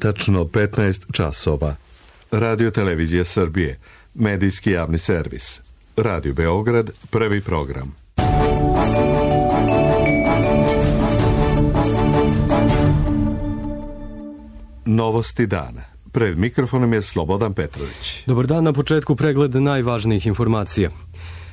Tačno 15 časova. Radio Televizija Srbije. Medijski javni servis. Radio Beograd, prvi program. Novosti dana. Pred mikrofonom je Slobodan Petrović. Dobar dan, na početku pregled najvažnijih informacija.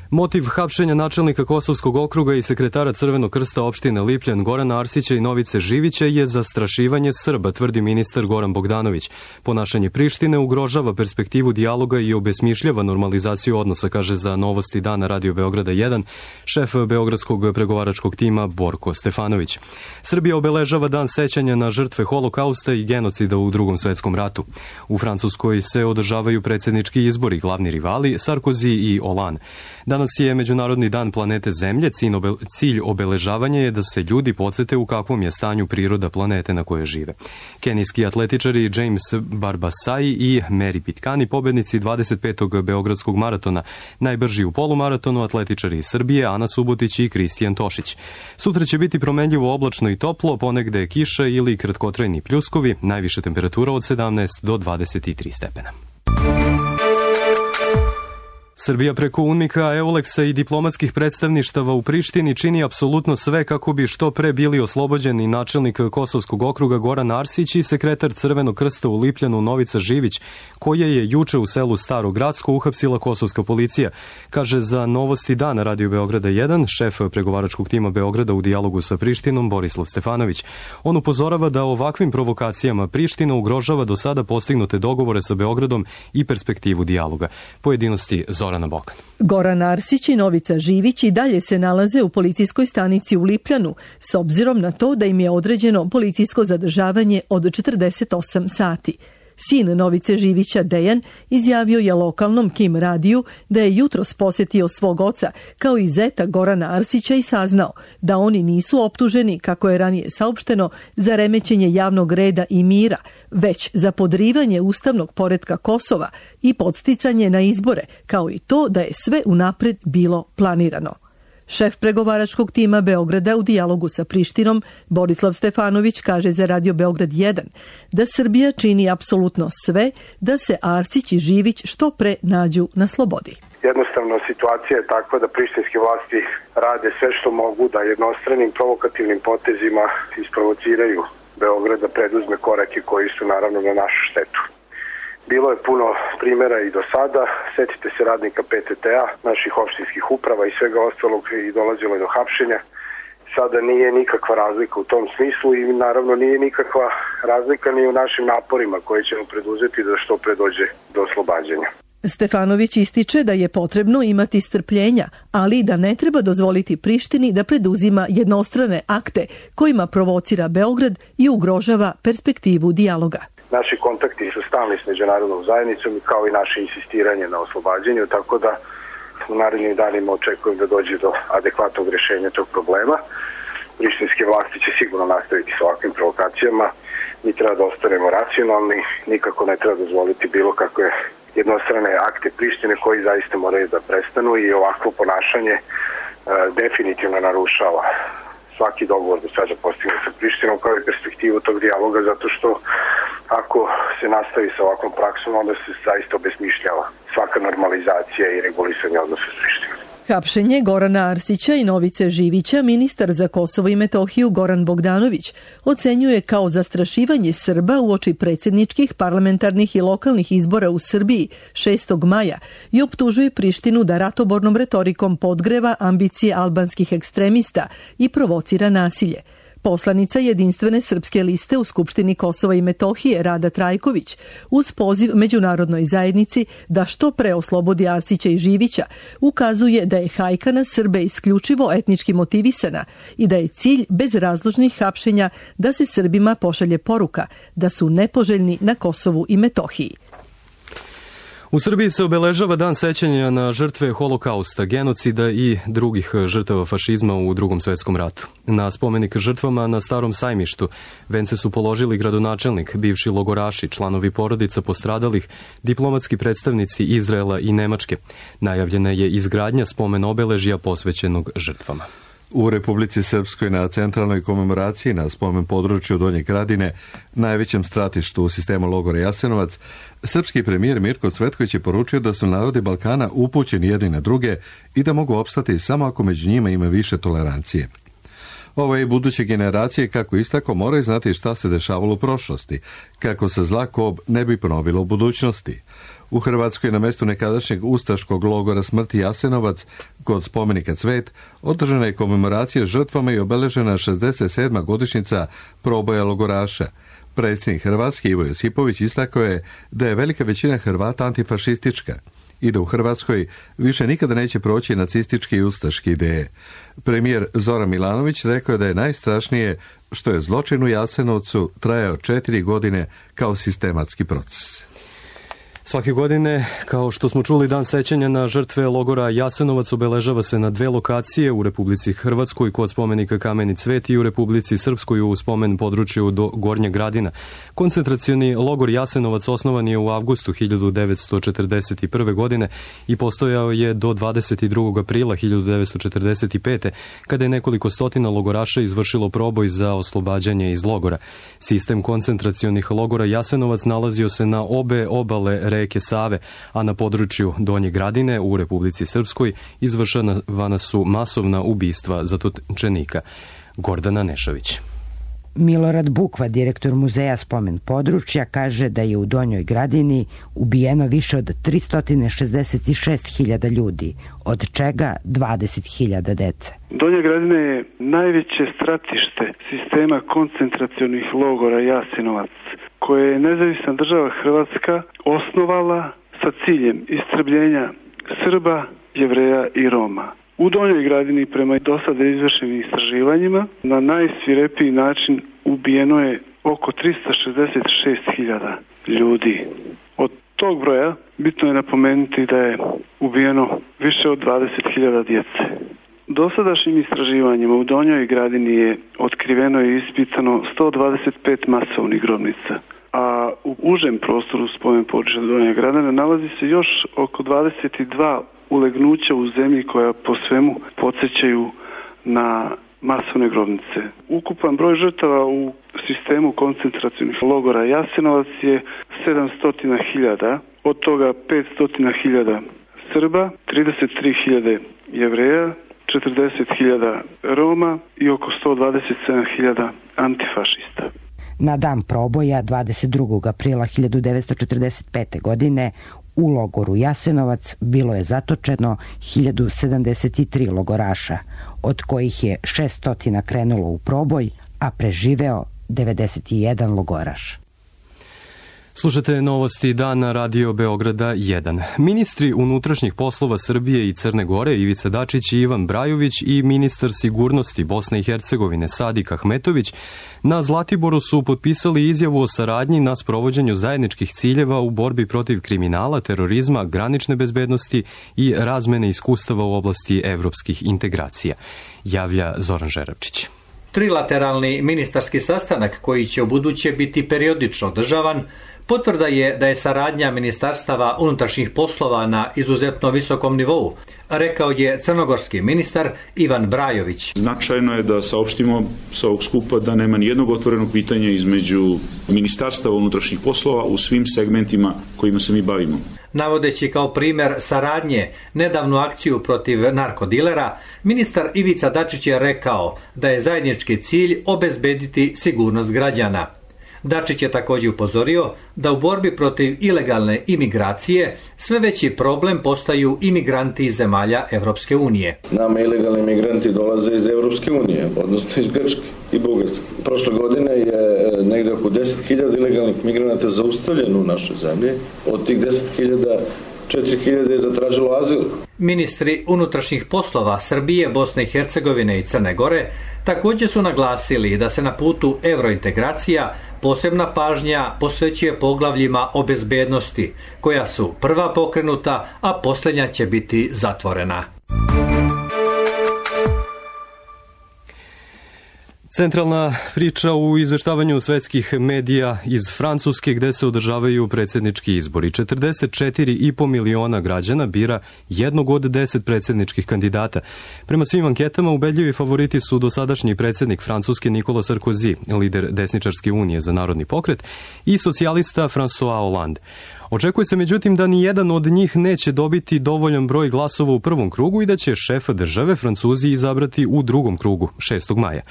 Motiv hapšenja načelnika Kosovskog okruga i sekretara Crvenog krsta opštine Lipljan Gorana Arsića i Novice Živića je zastrašivanje Srba, tvrdi ministar Goran Bogdanović. Ponašanje Prištine ugrožava perspektivu dijaloga i obesmišljava normalizaciju odnosa, kaže za Novosti dana Radio Beograda 1 šef beogradskog pregovaračkog tima Borko Stefanović. Srbija obeležava dan sećanja na žrtve holokausta i genocida u Drugom svetskom ratu. U Francuskoj se održavaju predsjednički izbori, glavni rivali Sarkozy i Hollande. Danas je Međunarodni dan planete Zemlje. Cilj obeležavanja je da se ljudi podsete u kakvom je stanju priroda planete na kojoj žive. Kenijski atletičari James Barbasai i Mary Pitkani, pobednici 25. Beogradskog maratona, najbrži u polumaratonu atletičari iz Srbije Ana Subotić i Kristijan Tošić. Sutra će biti promenljivo oblačno i toplo, ponegde kiša ili kratkotrajni pljuskovi, najviša temperatura od 17 do 23 stepena. Srbija preko UNMIK-a, EULEX-a i diplomatskih predstavništava u Prištini čini apsolutno sve kako bi što pre bili oslobođeni načelnik Kosovskog okruga Goran Arsić i sekretar Crvenog krsta u Lipljanu Novica Živić, koje je juče u selu Staro Gradsko uhapsila kosovska policija, kaže za Novosti dana Radio Beograda 1 šef pregovaračkog tima Beograda u dijalogu sa Prištinom Borislav Stefanović. On upozorava da ovakvim provokacijama Priština ugrožava do sada postignute dogovore sa Beogradom i perspektivu dijaloga. Pojedinosti Zorana Bokan. Goran Arsić i Novica Živić i dalje se nalaze u policijskoj stanici u Lipljanu, s obzirom na to da im je određeno policijsko zadržavanje od 48 sati. Sin Novice Živića, Dejan, izjavio je lokalnom Kim radiju da je jutros posjetio svog oca, kao i zeta Gorana Arsića, i saznao da oni nisu optuženi, kako je ranije saopšteno, za remećenje javnog reda i mira, već za podrivanje ustavnog poretka Kosova i podsticanje na izbore, kao i to da je sve unapred bilo planirano. Šef pregovaračkog tima Beograda u dijalogu sa Prištinom, Borislav Stefanović, kaže za Radio Beograd 1 da Srbija čini apsolutno sve da se Arsić i Živić što pre nađu na slobodi. Jednostavno, situacija je takva da prištinske vlasti rade sve što mogu da jednostranim provokativnim potezima isprovociraju Beograd da preduzme korake koji su naravno na našu štetu. Bilo je puno primjera i do sada, setite se radnika PTT-a, naših opštinskih uprava i svega ostalog, i dolazilo je do hapšenja. Sada nije nikakva razlika u tom smislu i naravno nije nikakva razlika ni u našim naporima koje ćemo preduzeti da što pre dođe do oslobađanja. Stefanović ističe da je potrebno imati strpljenja, ali da ne treba dozvoliti Prištini da preduzima jednostrane akte kojima provocira Beograd i ugrožava perspektivu dijaloga. Naši kontakti su stalni s međunarodnom zajednicom, kao i naše insistiranje na oslobađanju, tako da u narednim danima očekujem da dođe do adekvatnog rješenja tog problema. Prištinske vlasti će sigurno nastaviti s ovakvim provokacijama. Mi treba da ostanemo racionalni, nikako ne treba dozvoliti bilo kakve jednostrane akte Prištine koji zaista moraju da prestanu, i ovakvo ponašanje definitivno narušava svaki dogovor do sada postignut sa Prištinom, kao i perspektivu tog dijaloga, zato što ako se nastavi sa ovakvom praksom, onda se zaista obesmišljava svaka normalizacija i regulisanje odnosa s Prištinom. Hapšenje Gorana Arsića i Novice Živića ministar za Kosovo i Metohiju Goran Bogdanović ocenjuje kao zastrašivanje Srba uoči predsjedničkih, parlamentarnih i lokalnih izbora u Srbiji 6. maja i optužuje Prištinu da ratobornom retorikom podgreva ambicije albanskih ekstremista i provocira nasilje. Poslanica Jedinstvene srpske liste u Skupštini Kosova i Metohije Rada Trajković uz poziv međunarodnoj zajednici da što pre oslobodi Arsića i Živića ukazuje da je hajka na Srbe isključivo etnički motivisana i da je cilj bezrazložnih hapšenja da se Srbima pošalje poruka da su nepoželjni na Kosovu i Metohiji. U Srbiji se obeležava dan sećanja na žrtve holokausta, genocida i drugih žrtava fašizma u Drugom svetskom ratu. Na spomenik žrtvama na Starom sajmištu vence su položili gradonačelnik, bivši logoraši, članovi porodica postradalih, diplomatski predstavnici Izraela i Nemačke. Najavljena je izgradnja spomen obeležja posvećenog žrtvama. U Republici Srpskoj na centralnoj komemoraciji na spomen području Donje Gradine, najvećem stratištu u sistemu logora Jasenovac, srpski premijer Mirko Cvetković je poručio da su narodi Balkana upućeni jedni na druge i da mogu opstati samo ako među njima ima više tolerancije. Ove i buduće generacije, kako istako, moraju znati šta se dešavalo u prošlosti, kako se zla kob ne bi ponovilo u budućnosti. U Hrvatskoj na mjestu nekadašnjeg ustaškog logora smrti Jasenovac, kod spomenika Cvet, održana je komemoracija žrtvama i obeležena 67. godišnjica proboja logoraša. Predsjednik Hrvatske Ivo Josipović istakao je da je velika većina Hrvata antifašistička i da u Hrvatskoj više nikada neće proći nacistički i ustaški ideje. Premijer Zoran Milanović rekao je da je najstrašnije što je zločin u Jasenovcu trajao 4 godine kao sistematski proces. Svake godine, kao što smo čuli, dan sećanja na žrtve logora Jasenovac obeležava se na 2 lokacije, u Republici Hrvatskoj kod spomenika Kameni Cvet i u Republici Srpskoj u spomen području do Gornjeg Gradina. Koncentracioni logor Jasenovac osnovan je u avgustu 1941. godine i postojao je do 22. aprila 1945. kada je nekoliko stotina logoraša izvršilo proboj za oslobađanje iz logora. Sistem koncentracionih logora Jasenovac nalazio se na obe obale reke Save, a na području Donje Gradine u Republici Srpskoj izvršavana su masovna ubistva zatočenika. Gordana Nešović. Milorad Bukva, direktor muzeja spomen područja, kaže da je u Donjoj Gradini ubijeno više od 366.000 ljudi, od čega 20.000 dece. Donja Gradina je najveće stratište sistema koncentracionih logora Jasenovac, koje je nezavisna država Hrvatska osnovala sa ciljem istrebljenja Srba, Jevreja i Roma. U Donjoj Gradini, prema do sada izvršenim istraživanjima, na najsvirepiji način ubijeno je oko 366.000 ljudi. Od tog broja bitno je napomenuti da je ubijeno više od 20.000 djece. Dosadašnjim istraživanjima u Donjoj Gradini je otkriveno i ispitano 125 masovnih grobnica, a u užem prostoru spomen područja Donje Gradine nalazi se još oko 22 ulegnuća u zemlji koja po svemu podsjećaju na masovne grobnice. Ukupan broj žrtava u sistemu koncentracionih logora Jasenovac je 700.000, od toga 500.000 Srba, 33.000 Jevreja, 40.000 Roma i oko 127.000 antifašista. Na dan proboja 22. aprila 1945. godine u logoru Jasenovac bilo je zatočeno 1073 logoraša, od kojih je 600 krenulo u proboj, a preživeo 91 logoraš. Slušate novosti dana Radio Beograda 1. Ministri unutrašnjih poslova Srbije i Crne Gore Ivica Dačić i Ivan Brajović i ministar sigurnosti Bosne i Hercegovine Sadik Ahmetović na Zlatiboru su potpisali izjavu o saradnji na sprovođenju zajedničkih ciljeva u borbi protiv kriminala, terorizma, granične bezbednosti i razmene iskustava u oblasti evropskih integracija. Javlja Zoran Žerabčić. Trilateralni ministarski sastanak, koji će ubuduće biti periodično održavan, potvrda je da je saradnja ministarstava unutrašnjih poslova na izuzetno visokom nivou, rekao je crnogorski ministar Ivan Brajović. Značajno je da saopštimo sa ovog skupa da nema nijednog otvorenog pitanja između ministarstava unutrašnjih poslova u svim segmentima kojima se mi bavimo. Navodeći kao primjer saradnje nedavnu akciju protiv narkodilera, ministar Ivica Dačić je rekao da je zajednički cilj obezbediti sigurnost građana. Dačić je također upozorio da u borbi protiv ilegalne imigracije sve veći problem postaju imigranti iz zemalja Evropske unije. Nama ilegalni imigranti dolaze iz Evropske unije, odnosno iz Grčke i Bugarske. Prošle godine je negde oko 10.000 ilegalnih migranata zaustavljeno u našoj zemlji. Od tih 10.000 4.000 je zatražilo azil. Ministri unutrašnjih poslova Srbije, Bosne i Hercegovine i Crne Gore također su naglasili da se na putu evrointegracija posebna pažnja posvećuje poglavljima o bezbednosti, koja su prva pokrenuta, a posljednja će biti zatvorena. Centralna priča u izveštavanju svetskih medija iz Francuske gde se održavaju predsjednički izbori. 44,5 miliona građana bira jednog od 10 predsjedničkih kandidata. Prema svim anketama ubedljivi favoriti su dosadašnji predsjednik Francuske Nicolas Sarkozy, lider desničarske unije za narodni pokret, i socijalista François Hollande. Očekuje se međutim da ni jedan od njih neće dobiti dovoljan broj glasova u prvom krugu i da će šefa države Francuzi izabrati u drugom krugu 6. maja.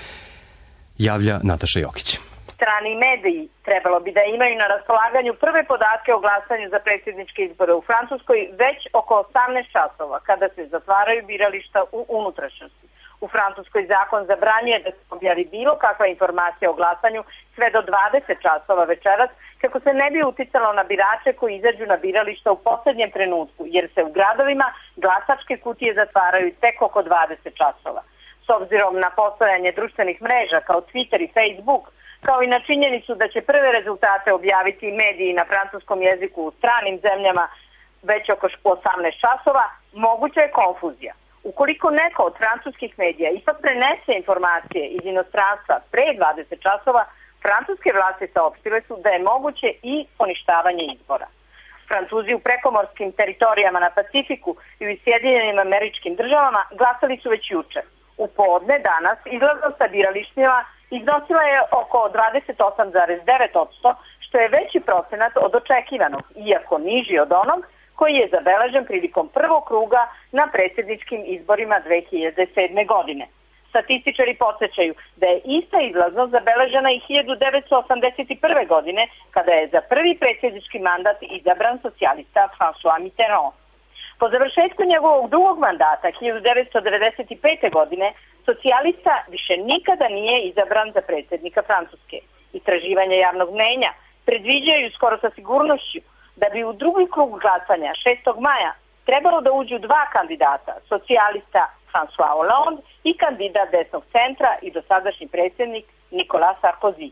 Javlja Nataša Jokić. Strani mediji trebalo bi da imaju na raspolaganju prve podatke o glasanju za predsjedničke izbore u Francuskoj već oko 18 časova kada se zatvaraju birališta u unutrašnjosti. U Francuskoj zakon zabranjuje da se objavi bilo kakva informacija o glasanju sve do 20 časova večeras kako se ne bi uticalo na birače koji izađu na birališta u posljednjem trenutku jer se u gradovima glasačke kutije zatvaraju tek oko 20 časova. S obzirom na postojanje društvenih mreža kao Twitter i Facebook, kao i na činjenicu da će prve rezultate objaviti mediji na francuskom jeziku u stranim zemljama već oko 18 časova, moguća je konfuzija. Ukoliko neko od francuskih medija ipak prenese informacije iz inostranstva pre 20 časova, francuske vlasti saopštile su da je moguće i poništavanje izbora. Francuzi u prekomorskim teritorijama na Pacifiku i u Sjedinjenim Američkim Državama glasali su već juče. U podne danas izlaznost sa biralištima iznosila je oko 28,9%, što je veći procenat od očekivanog, iako niži od onog koji je zabeležen prilikom prvog kruga na predsjedničkim izborima 2007. godine. Statističari podsjećaju da je ista izlaznost zabeležena i 1981. godine, kada je za prvi predsjednički mandat izabran socijalista François Mitterrand. Po završetku njegovog drugog mandata 1995. godine socijalista više nikada nije izabran za predsjednika Francuske. Istraživanja javnog mnjenja predviđaju skoro sa sigurnošću da bi u drugi krug glasanja 6. maja trebalo da uđu dva kandidata, socijalista François Hollande i kandidat desnog centra i dosadašnji predsjednik Nicolas Sarkozy.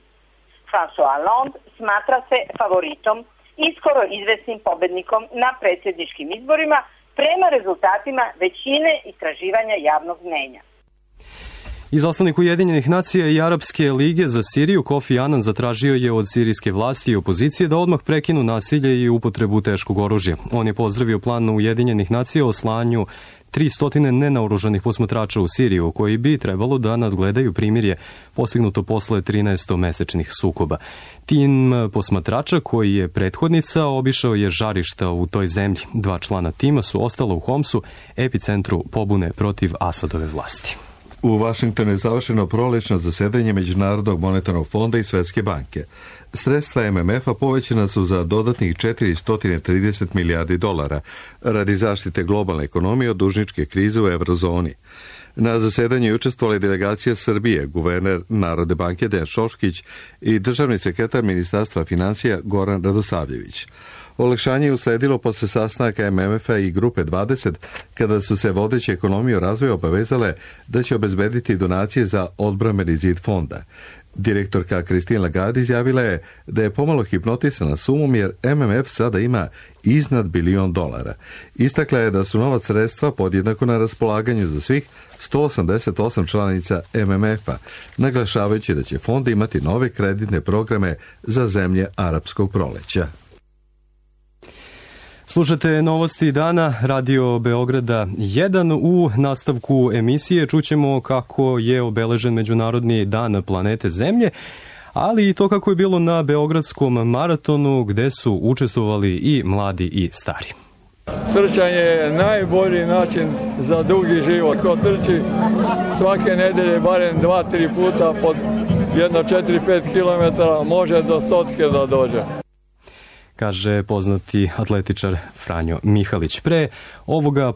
François Hollande smatra se favoritom i skoro izvesnim pobednikom na predsjedničkim izborima prema rezultatima većine istraživanja javnog mnjenja. Izaslanik Ujedinjenih nacija i Arapske lige za Siriju Kofi Anan zatražio je od sirijske vlasti i opozicije da odmah prekinu nasilje i upotrebu teškog oružja. On je pozdravio plan Ujedinjenih nacija o slanju 300 nenaoružanih posmatrača u Siriju, koji bi trebalo da nadgledaju primirje postignuto posle 13-mesečnih sukoba. Tim posmatrača, koji je prethodnica, obišao je žarišta u toj zemlji. 2 člana tima su ostala u Homsu, epicentru pobune protiv Asadove vlasti. U Vašingtonu je završeno prolećno zasedanje Međunarodnog monetarnog fonda i Svetske banke. Sredstva MMF-a povećana su za dodatnih 430 milijardi dolara radi zaštite globalne ekonomije od dužničke krize u eurozoni. Na zasedanju je učestvovala delegacija Srbije, guverner Narodne banke Dejan Šoškić i državni sekretar Ministarstva financija Goran Radosavljević. Olakšanje je usledilo posle sastanaka MMF-a i Grupe 20, kada su se vodeće ekonomije o razvoju obavezale da će obezbediti donacije za odbrambeni zid fonda. Direktorka Christine Lagarde izjavila je da je pomalo hipnotisana sumom jer MMF sada ima iznad $1 bilion. Istakla je da su nova sredstva podjednako na raspolaganju za svih 188 članica MMF-a, naglašavajući da će fond imati nove kreditne programe za zemlje arapskog proleća. Slušate novosti dana, Radio Beograda 1. U nastavku emisije čućemo kako je obeležen Međunarodni dan planete Zemlje, ali i to kako je bilo na Beogradskom maratonu gde su učestvovali i mladi i stari. Trčanje je najbolji način za dugi život. Ko trči svake nedelje barem 2-3 puta pod jedno 4-5 km može do 100 da dođe, kaže poznati atletičar Franjo Mihalić. Pre ovoga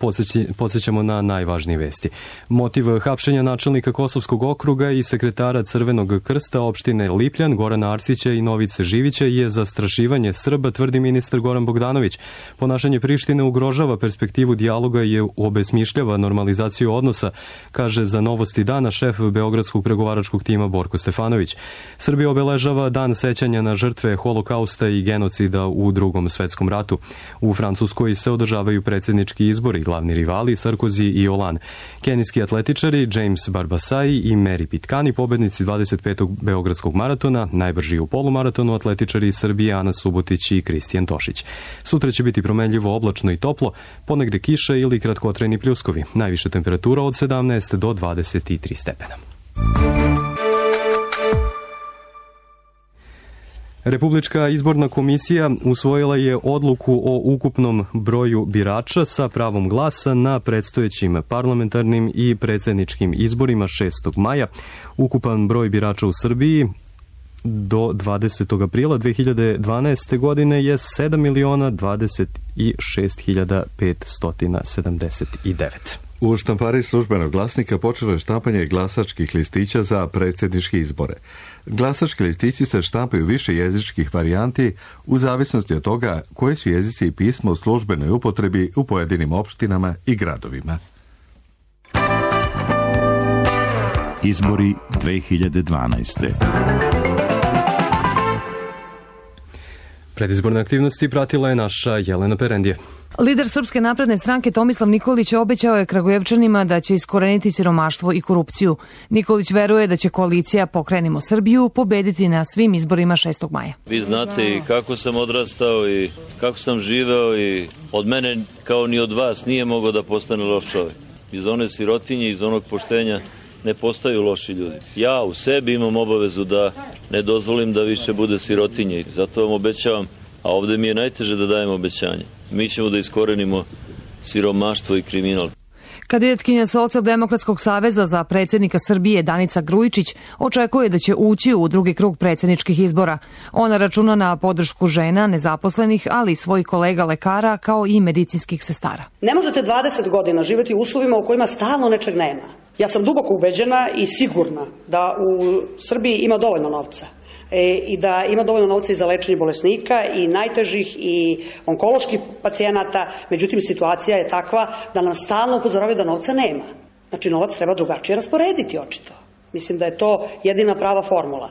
podsjećamo na najvažnije vesti. Motiv hapšenja načelnika Kosovskog okruga i sekretara Crvenog krsta opštine Lipljan, Gorana Arsića i Novice Živića je zastrašivanje Srba, tvrdi ministar Goran Bogdanović. Ponašanje Prištine ugrožava perspektivu dijaloga i obesmišljava normalizaciju odnosa, kaže za Novosti dana šef Beogradskog pregovaračkog tima Borko Stefanović. Srbija obeležava dan sećanja na žrtve holokausta i genocida u Drugom svetskom ratu. U Francuskoj se održavaju predsjednički izbori, glavni rivali Sarkozy i Hollande. Kenijski atletičari James Barbasai i Mary Pitkani, pobednici 25. Beogradskog maratona, najbrži u polumaratonu atletičari iz Srbije Ana Subotić i Kristijan Tošić. Sutra će biti promenljivo, oblačno i toplo, ponegde kiše ili kratkotrajni pljuskovi. Najviša temperatura od 17 do 23 stepena. Republička izborna komisija usvojila je odluku o ukupnom broju birača sa pravom glasa na predstojećim parlamentarnim i predsjedničkim izborima 6. maja. Ukupan broj birača u Srbiji do 20. aprila 2012. godine je 7.026.579. U štampari Službenog glasnika počelo je štampanje glasačkih listića za predsjedničke izbore. Glasački listići se štampaju više jezičkih varijanti u zavisnosti od toga koji su jezici i pismo u službenoj upotrebi u pojedinim opštinama i gradovima. Izbori 2012. Predizborne aktivnosti pratila je naša Jelena Perendije. Lider Srpske napredne stranke Tomislav Nikolić obećao je Kragujevčanima da će iskoreniti siromaštvo i korupciju. Nikolić veruje da će koalicija Pokrenimo Srbiju pobediti na svim izborima 6. maja. Vi znate i kako sam odrastao i kako sam živeo i od mene kao ni od vas nije mogao da postane loš čovjek. Iz one sirotinje, iz onog poštenja ne postaju loši ljudi. Ja u sebi imam obavezu da ne dozvolim da više bude sirotinje. Zato vam obećavam, a ovdje mi je najteže da dajem obećanje. Mi ćemo da iskorenimo siromaštvo i kriminal. Kandidatkinja Socijaldemokratskog saveza za predsjednika Srbije Danica Grujičić očekuje da će ući u drugi krug predsjedničkih izbora. Ona računa na podršku žena, nezaposlenih, ali i svojih kolega lekara kao i medicinskih sestara. Ne možete 20 godina živjeti u uslovima u kojima stalno nečeg nema. Ja sam duboko ubeđena i sigurna da u Srbiji ima dovoljno novca. I da ima dovoljno novca i za lečenje bolesnika i najtežih i onkoloških pacijenata, međutim situacija je takva da nam stalno upozoravaju da novca nema. Znači novac treba drugačije rasporediti očito. Mislim da je to jedina prava formula.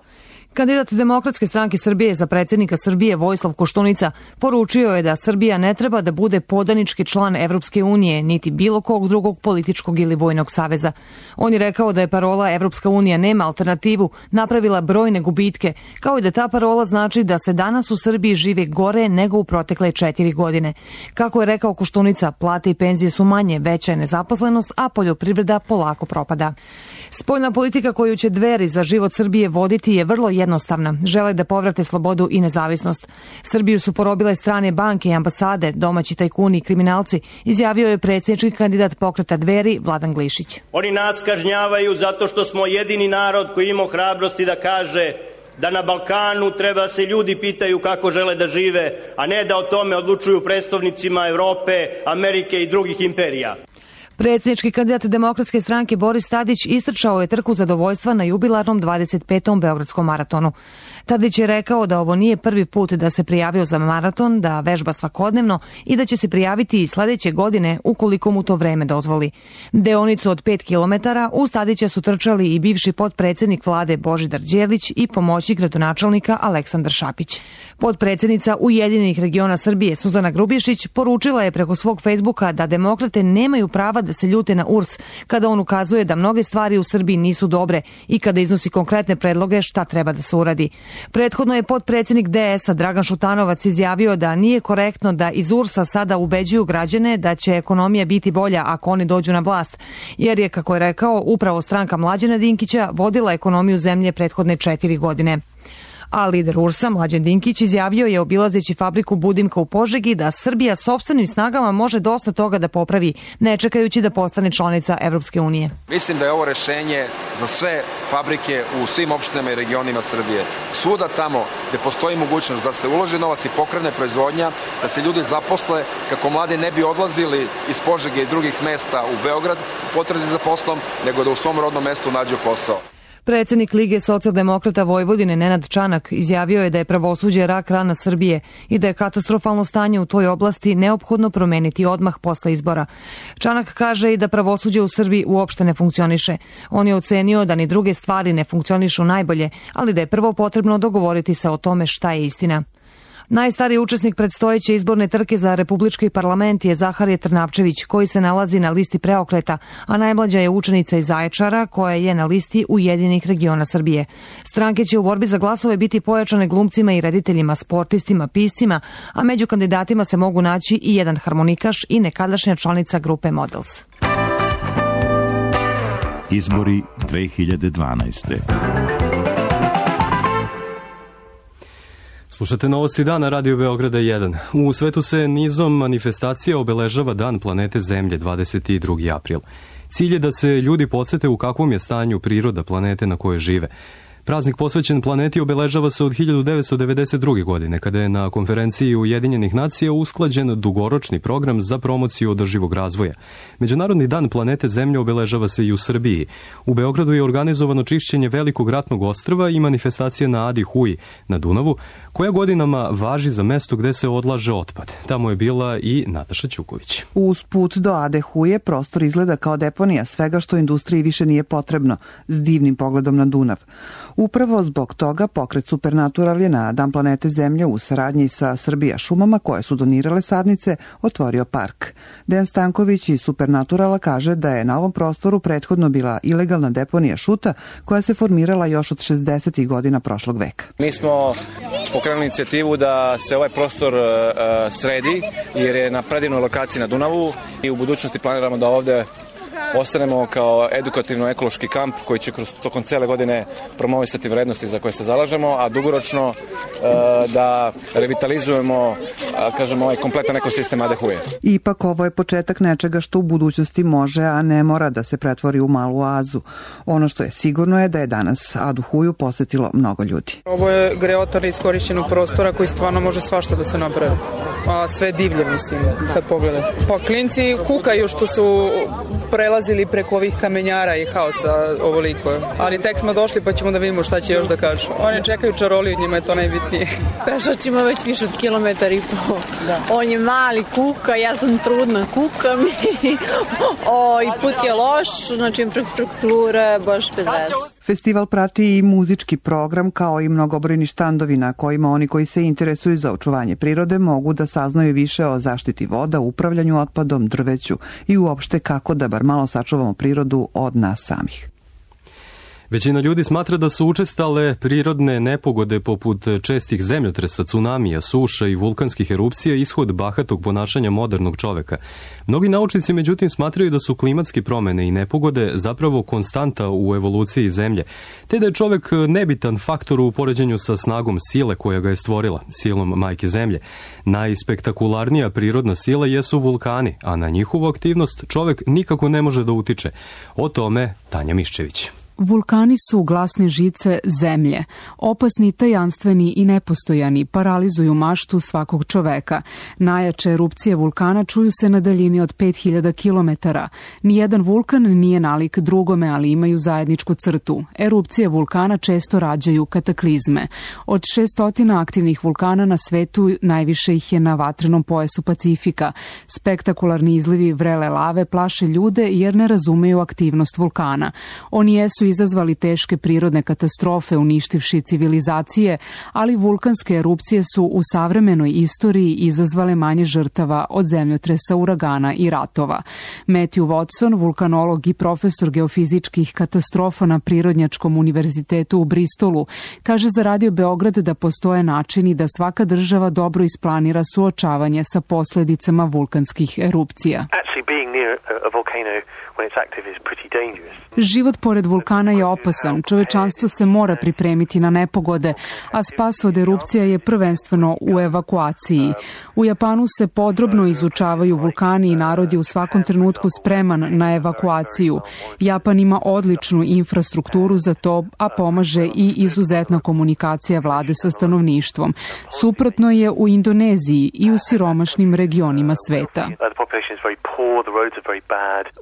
Kandidat Demokratske stranke Srbije za predsjednika Srbije Vojislav Koštunica poručio je da Srbija ne treba da bude podanički član Evropske unije, niti bilo kog drugog političkog ili vojnog saveza. On je rekao da je parola Evropska unija nema alternativu napravila brojne gubitke, kao i da ta parola znači da se danas u Srbiji žive gore nego u protekle 4 godine. Kako je rekao Koštunica, plate i penzije su manje, veća je nezaposlenost, a poljoprivreda polako propada. Spoljna politika koju će Dveri za život Srbije voditi je vrlo jednostavna. Žele da povrate slobodu i nezavisnost. Srbiju su porobile strane banke i ambasade, domaći tajkuni i kriminalci, izjavio je predsjednički kandidat pokreta Dveri Vladan Glišić. Oni nas kažnjavaju zato što smo jedini narod koji ima hrabrosti da kaže da na Balkanu treba se ljudi pitaju kako žele da žive, a ne da o tome odlučuju predstavnicima Evrope, Amerike i drugih imperija. Predsjednički kandidat Demokratske stranke Boris Tadić istrčao je trku zadovoljstva na jubilarnom 25. Beogradskom maratonu. Tadić je rekao da ovo nije prvi put da se prijavio za maraton, da vežba svakodnevno i da će se prijaviti i sledeće godine ukoliko mu to vreme dozvoli. Deonicu od 5 km uz Tadića su trčali i bivši potpredsjednik vlade Božidar Đelić i pomoćnik gradonačelnika Aleksandar Šapić. Potpredsjednica Ujedinjenih regiona Srbije Suzana Grubješić poručila je preko svog Facebooka da demokrate nemaju prava da se ljute na URS kada on ukazuje da mnoge stvari u Srbiji nisu dobre i kada iznosi konkretne predloge šta treba da se uradi. Prethodno je potpredsjednik DS-a Dragan Šutanovac izjavio da nije korektno da iz URS-a sada ubeđuju građane da će ekonomija biti bolja ako oni dođu na vlast, jer je, kako je rekao, upravo stranka Mlađana Dinkića vodila ekonomiju zemlje prethodne 4 godine. A lider URS-a Mlađan Dinkić izjavio je obilazeći fabriku Budimka u Požegi da Srbija sopstvenim snagama može dosta toga da popravi, ne čekajući da postane članica Evropske unije. Mislim da je ovo rešenje za sve fabrike u svim opštinama i regionima Srbije. Svuda tamo gde postoji mogućnost da se uloži novac i pokrene proizvodnja, da se ljudi zaposle kako mladi ne bi odlazili iz Požege i drugih mesta u Beograd u potrazi za poslom, nego da u svom rodnom mestu nađu posao. Predsjednik Lige socijaldemokrata Vojvodine Nenad Čanak izjavio je da je pravosuđe rak rana Srbije i da je katastrofalno stanje u toj oblasti neophodno promeniti odmah posle izbora. Čanak kaže i da pravosuđe u Srbiji uopšte ne funkcioniše. On je ocenio da ni druge stvari ne funkcionišu najbolje, ali da je prvo potrebno dogovoriti se o tome šta je istina. Najstariji učesnik predstojeće izborne trke za republički parlament je Zaharije Trnavčević, koji se nalazi na listi Preokreta, a najmlađa je učenica iz Zaječara, koja je na listi Ujedinjenih regiona Srbije. Stranke će u borbi za glasove biti pojačane glumcima i rediteljima, sportistima, piscima, a među kandidatima se mogu naći i jedan harmonikaš i nekadašnja članica grupe Models. Izbori 2012. Slušate Novosti dana Radio Beograda 1. U svetu se nizom manifestacija obeležava Dan planete Zemlje 22. april. Cilj je da se ljudi podsete u kakvom je stanju priroda planete na kojoj žive. Praznik posvećen planeti obeležava se od 1992. godine, kada je na konferenciji Ujedinjenih nacija usklađen dugoročni program za promociju održivog razvoja. Međunarodni dan planete Zemlje obeležava se i u Srbiji. U Beogradu je organizovano čišćenje Velikog ratnog ostrva i manifestacija na Adi Huji na Dunavu, koja godinama važi za mesto gde se odlaže otpad. Tamo je bila i Nataša Ćuković. Uz put do Ade Huje prostor izgleda kao deponija svega što industriji više nije potrebno, s divnim pogledom na Dunav. Upravo zbog toga pokret Supernatural je na Dan planete Zemlje u saradnji sa Srbija šumama, koje su donirale sadnice, otvorio park. Dejan Stanković iz Supernaturala kaže da je na ovom prostoru prethodno bila ilegalna deponija šuta koja se formirala još od 60. godina prošlog veka. Mi smo pokrenuli inicijativu da se ovaj prostor sredi, jer je na predivnoj lokaciji na Dunavu i u budućnosti planiramo da ovde ostanemo kao edukativno-ekološki kamp koji će tokom cele godine promovisati vrednosti za koje se zalažemo, a dugoročno da revitalizujemo, kažemo, ovaj kompletan ekosistem Ade Huje. Ipak ovo je početak nečega što u budućnosti može, a ne mora da se pretvori u malu oazu. Ono što je sigurno je da je danas Adu Huju posetilo mnogo ljudi. Ovo je greotar iskorišćenog prostora koji stvarno može svašta da se napravi. A sve divlje, mislim, kad pogledate. Pa klinci kukaju što su prelazili preko ovih kamenjara i haosa ovoliko. Ali tek smo došli pa ćemo da vidimo šta će još da kažu. Oni čekaju čaroliju, njima je to najbitnije. Pešač ima već više od kilometar i pol. Da. On je mali, kuka, ja sam trudna, kukam i put je loš, znači infrastruktura baš bez veze. Festival prati i muzički program, kao i mnogobrojni štandovi na kojima oni koji se interesuju za očuvanje prirode mogu da saznaju više o zaštiti voda, upravljanju otpadom, drveću i uopšte kako da bar malo sačuvamo prirodu od nas samih. Većina ljudi smatra da su učestale prirodne nepogode poput čestih zemljotresa, cunamija, suša i vulkanskih erupcija ishod bahatog ponašanja modernog čoveka. Mnogi naučnici međutim smatraju da su klimatske promene i nepogode zapravo konstanta u evoluciji Zemlje, te da je čovek nebitan faktor u poređenju sa snagom sile koja ga je stvorila, silom majke Zemlje. Najspektakularnija prirodna sila jesu vulkani, a na njihovu aktivnost čovek nikako ne može da utiče. O tome Tanja Miščević. Vulkani su glasne žice zemlje. Opasni, tajanstveni i nepostojani, paralizuju maštu svakog čoveka. Najjače erupcije vulkana čuju se na daljini od 5000 km. Nijedan vulkan nije nalik drugome, ali imaju zajedničku crtu. Erupcije vulkana često rađaju kataklizme. Od 600 aktivnih vulkana na svetu, najviše ih je na vatrenom pojasu Pacifika. Spektakularni izlivi vrele lave plaše ljude jer ne razumeju aktivnost vulkana. Oni jesu izazvali teške prirodne katastrofe uništivši civilizacije, ali vulkanske erupcije su u savremenoj istoriji izazvale manje žrtava od zemljotresa, uragana i ratova. Matthew Watson, vulkanolog i profesor geofizičkih katastrofa na Prirodnjačkom univerzitetu u Bristolu, kaže za Radio Beograd da postoje načini da svaka država dobro isplanira suočavanje sa posledicama vulkanskih erupcija. Život pored vulkana je opasan, čovečanstvo se mora pripremiti na nepogode, a spas od erupcija je prvenstveno u evakuaciji. U Japanu se podrobno izučavaju vulkani i narod je u svakom trenutku spreman na evakuaciju. Japan ima odličnu infrastrukturu za to, a pomaže i izuzetna komunikacija vlade sa stanovništvom. Suprotno je u Indoneziji i u siromašnim regionima sveta.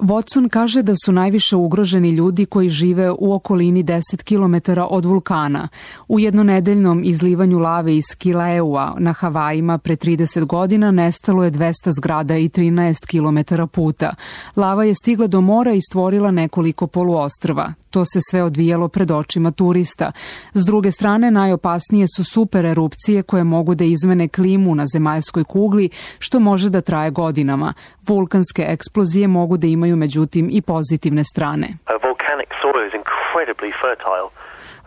Watson kaže da su najviše ugroženi ljudi koji žive u okolini 10 km od vulkana. U jednonedeljnom izlivanju lave iz Kilauea na Havajima pre 30 godina nestalo je 200 zgrada i 13 km puta. Lava je stigla do mora i stvorila nekoliko poluostrva. To se sve odvijalo pred očima turista. S druge strane, najopasnije su super erupcije koje mogu da izmene klimu na zemaljskoj kugli, što može da traje godinama. Vulkanske eksplozije mogu da imaju međutim i pozitivne strane.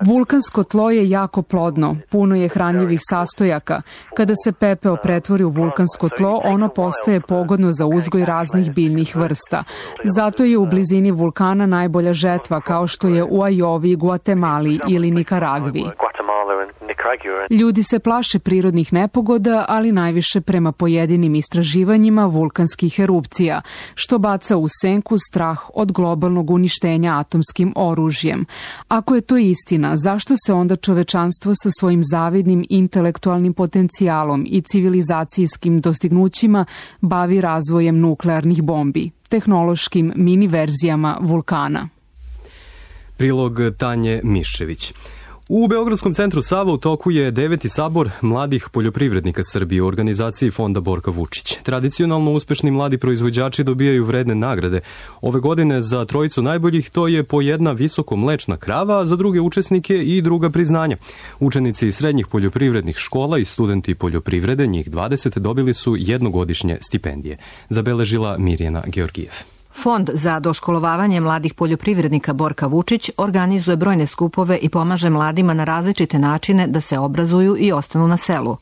Vulkansko tlo je jako plodno, puno je hranljivih sastojaka. Kada se pepeo pretvori u vulkansko tlo, ono postaje pogodno za uzgoj raznih biljnih vrsta. Zato je u blizini vulkana najbolja žetva, kao što je u Ajovi, Guatemali ili Nikaragvi. Ljudi se plaše prirodnih nepogoda, ali najviše prema pojedinim istraživanjima vulkanskih erupcija, što baca u senku strah od globalnog uništenja atomskim oružjem. Ako je to istina, zašto se onda čovečanstvo sa svojim zavidnim intelektualnim potencijalom i civilizacijskim dostignućima bavi razvojem nuklearnih bombi, tehnološkim mini verzijama vulkana? Prilog Tanje Mišević. U Beogradskom centru Sava u toku je 9. sabor mladih poljoprivrednika Srbije u organizaciji Fonda Borka Vučić. Tradicionalno uspešni mladi proizvođači dobijaju vredne nagrade. Ove godine za trojicu najboljih to je po jedna visoko mlečna krava, a za druge učesnike i druga priznanja. Učenici srednjih poljoprivrednih škola i studenti poljoprivrede, njih 20, dobili su jednogodišnje stipendije. Zabeležila Mirjana Georgijev. Fond za doškolovavanje mladih poljoprivrednika Borka Vučić organizuje brojne skupove i pomaže mladima na različite načine da se obrazuju i ostanu na selu.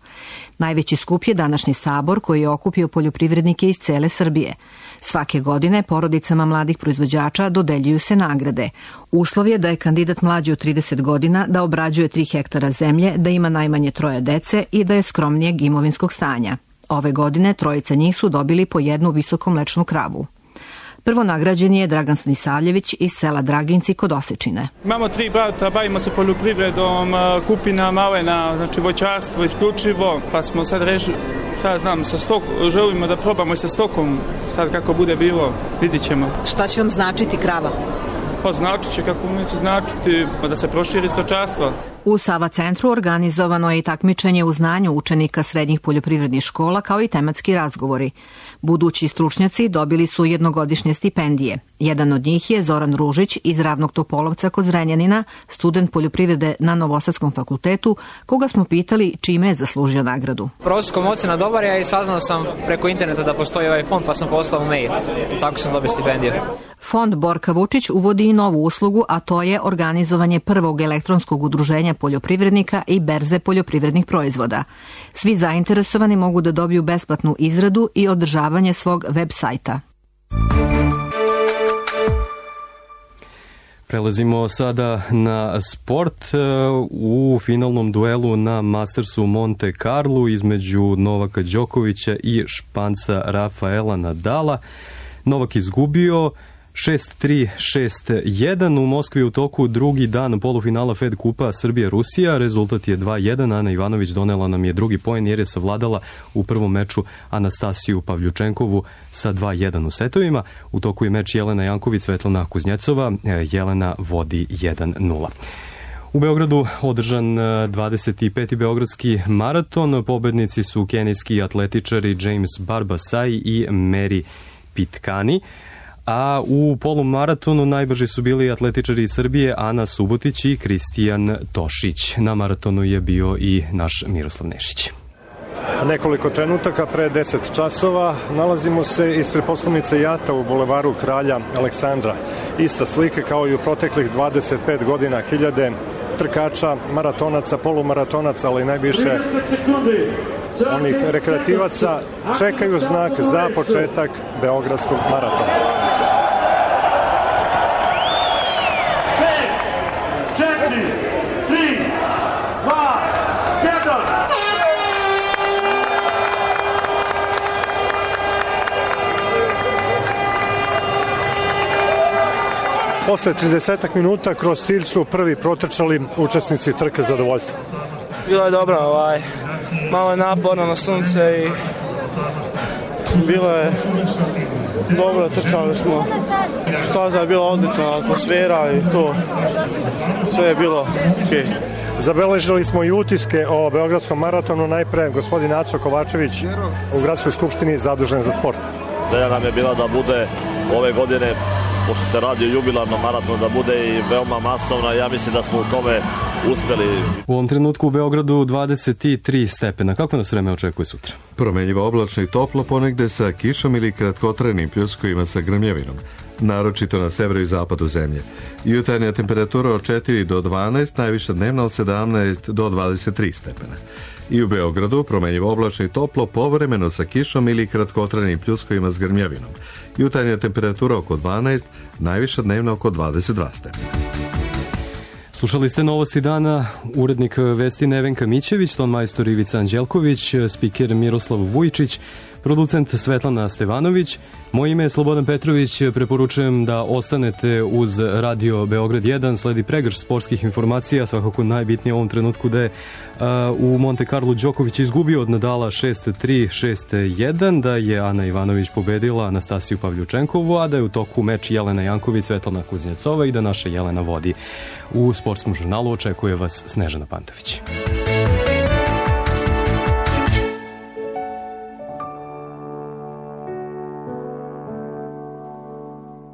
Najveći skup je današnji sabor koji je okupio poljoprivrednike iz cele Srbije. Svake godine porodicama mladih proizvođača dodeljuju se nagrade. Uslov je da je kandidat mlađi od 30 godina, da obrađuje 3 hektara zemlje, da ima najmanje 3 dece i da je skromnijeg imovinskog stanja. Ove godine trojica njih su dobili po jednu visokomlečnu kravu. Prvo nagrađeni je Dragan Stanisavljević iz sela Draginci kod Osečine. Imamo 3 brata, bavimo se poljoprivredom, kupina, malena, znači voćarstvo isključivo, pa smo sad rešili, želimo da probamo i sa stokom, sad kako bude bilo, vidit ćemo. Šta će vam značiti krava? Pa značit će kako neće značiti, da se proširi stočarstvo. U Sava centru organizovano je i takmičenje u znanju učenika srednjih poljoprivrednih škola kao i tematski razgovori. Budući stručnjaci dobili su jednogodišnje stipendije. Jedan od njih je Zoran Ružić iz Ravnog Topolovca kod Zrenjanina, student poljoprivrede na Novosadskom fakultetu, koga smo pitali čime je zaslužio nagradu. Prosjekom ocena dobar je i saznao sam preko interneta da postoji ovaj fond, pa sam poslao mail i tako sam dobio stipendiju. Fond Borka Vučić uvodi i novu uslugu, a to je organizovanje prvog elektronskog udruženja poljoprivrednika i berze poljoprivrednih proizvoda. Svi zainteresovani mogu da dobiju besplatnu izradu i održavanje svog web sajta. Prelazimo sada na sport. U finalnom duelu na Mastersu u Monte Carlu između Novaka Đokovića i Španca Rafaela Nadala. Novak izgubio 6-3, 6-1. U Moskvi u toku drugi dan polufinala Fed kupa Srbija-Rusija. Rezultat je 2-1. Ana Ivanović donela nam je drugi poen jer je savladala u prvom meču Anastasiju Pavljučenkovu sa 2-1 u setovima. U toku je meč Jelena Janković, Svetlana Kuznjecova. Jelena vodi 1-0. U Beogradu održan 25. Beogradski maraton. Pobednici su kenijski atletičari James Barbasai i Mary Pitkani. A u polumaratonu najbrži su bili atletičari iz Srbije Ana Subotić i Kristijan Tošić. Na maratonu je bio i naš Miroslav Nešić. Nekoliko trenutaka pre 10 časova nalazimo se ispred poslovnice JAT-a u bulevaru Kralja Aleksandra. Ista slika kao i u proteklih 25 godina, hiljade trkača, maratonaca, polumaratonaca, ali najviše onih rekreativaca čekaju znak za početak Beogradskog maratona. 2, 1. Posle 30 minuta kroz cilj su prvi protrčali učesnici trke zadovoljstva. Bilo je dobro, malo je naporno na sunce i bilo je dobro, trčali smo. Staza je bila odlična, atmosfera i to, sve je bilo okej. Zabeležili smo i utiske o Beogradskom maratonu. Najpre gospodin Aco Kovačević u Gradskoj skupštini zadužen za sport. Ideja nam je bila da bude ove godine pošto se radi o jubilarnom maratonu, da bude i veoma masovna. Ja mislim da smo u tome uspeli. U ovom trenutku u Beogradu 23 stepena. Kako nas vreme očekuje sutra? Promenjivo oblačno i toplo, ponegde sa kišom ili kratkotrenim pljuskovima sa grmljavinom, naročito na severu i zapadu zemlje. Jutarnja temperatura od 4 do 12, najviša dnevna od 17 do 23 stepena. I u Beogradu promenjivo oblačno i toplo, povremeno sa kišom ili kratkotrenim pljuskovima s grmljavinom. Jutarnja temperatura oko 12, najviša dnevna oko 22 stepena. Slušali ste novosti dana, urednik vesti Nevenka Mićević, ton majstor Ivica Anđelković, spiker Miroslav Vujčić, producent Svetlana Stevanović. Moje ime je Slobodan Petrović, preporučujem da ostanete uz Radio Beograd 1, sledi pregrš sportskih informacija, svakako najbitnije u ovom trenutku da je u Monte Carlo Đoković izgubio od Nadala 6-3, 6-1, da je Ana Ivanović pobedila Anastasiju Pavljučenkovu, a da je u toku meč Jelena Janković, Svetlana Kuznjecova i da naša Jelena vodi. U sportskom žurnalu očekuje vas Snežana Pantović.